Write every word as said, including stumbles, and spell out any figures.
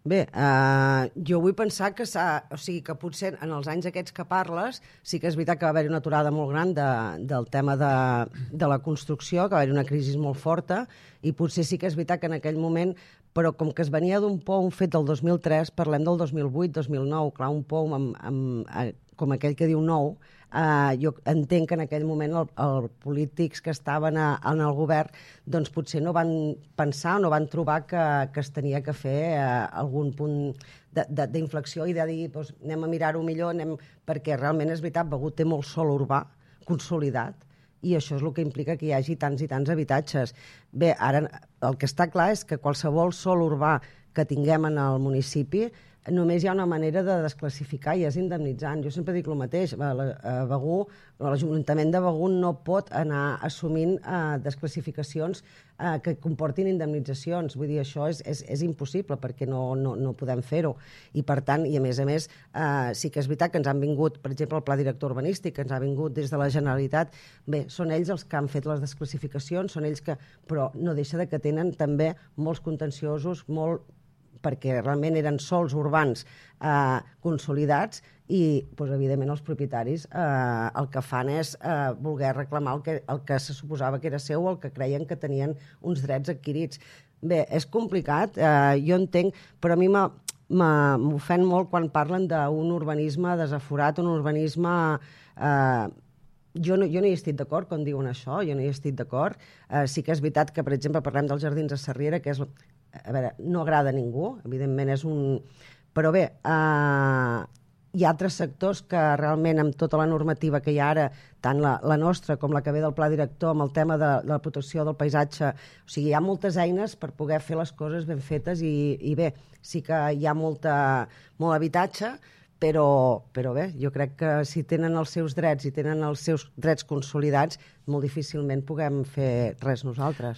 Bé, eh, jo vull pensar que s'ha... O sigui, que potser en els anys aquests que parles sí que és veritat que va haver-hi una aturada molt gran de, del tema de, de la construcció, que va haver-hi una crisi molt forta, i potser sí que és veritat que en aquell moment, però com que es venia d'un POUM fet del dos mil tres, parlem del dos mil vuit dos mil nou, clar, un POUM amb, amb, com aquell que diu nou, Uh, jo entenc que en aquell moment els el polítics que estaven a, en el govern doncs potser no van pensar, no van trobar que, que es tenia que fer uh, algun punt d'inflexió i de dir doncs, anem a mirar-ho millor, anem... perquè realment és veritat, Begur té molt sòl urbà consolidat i això és el que implica que hi hagi tants i tants habitatges. Bé, ara el que està clar és que qualsevol sòl urbà que tinguem en el municipi només hi ha una manera de desclassificar i és indemnitzant. Jo sempre dic el mateix, Begur, l'Ajuntament de Begur no pot anar assumint eh, desclassificacions eh, que comportin indemnitzacions. Vull dir, això és, és, és impossible perquè no, no, no podem fer-ho. I per tant, i a més a més, eh, sí que és veritat que ens han vingut, per exemple, el Pla Director Urbanístic, que ens ha vingut des de la Generalitat. Bé, són ells els que han fet les desclassificacions, són ells que... però no deixa de que tenen també molts contenciosos, molt perquè realment eren sols urbans eh, consolidats i, doncs, evidentment, els propietaris eh, el que fan és eh, voler reclamar el que, el que se suposava que era seu o el que creien que tenien uns drets adquirits. Bé, és complicat, eh, jo entenc, però a mi m'ofèn molt quan parlen d'un urbanisme desaforat, un urbanisme... Eh, Jo no, jo no hi estic d'acord quan diuen això, jo no hi estic d'acord. Eh, sí que és veritat que, per exemple, parlem dels Jardins de Sarriera, que és, a veure, no agrada a ningú, evidentment és un... Però bé, eh, hi ha altres sectors que realment amb tota la normativa que hi ha ara, tant la, la nostra com la que ve del Pla Director, amb el tema de, de la protecció del paisatge, o sigui, hi ha moltes eines per poder fer les coses ben fetes i, i bé, sí que hi ha molta, molt habitatge, Però, però bé, jo crec que si tenen els seus drets i tenen els seus drets consolidats, molt difícilment puguem fer res nosaltres.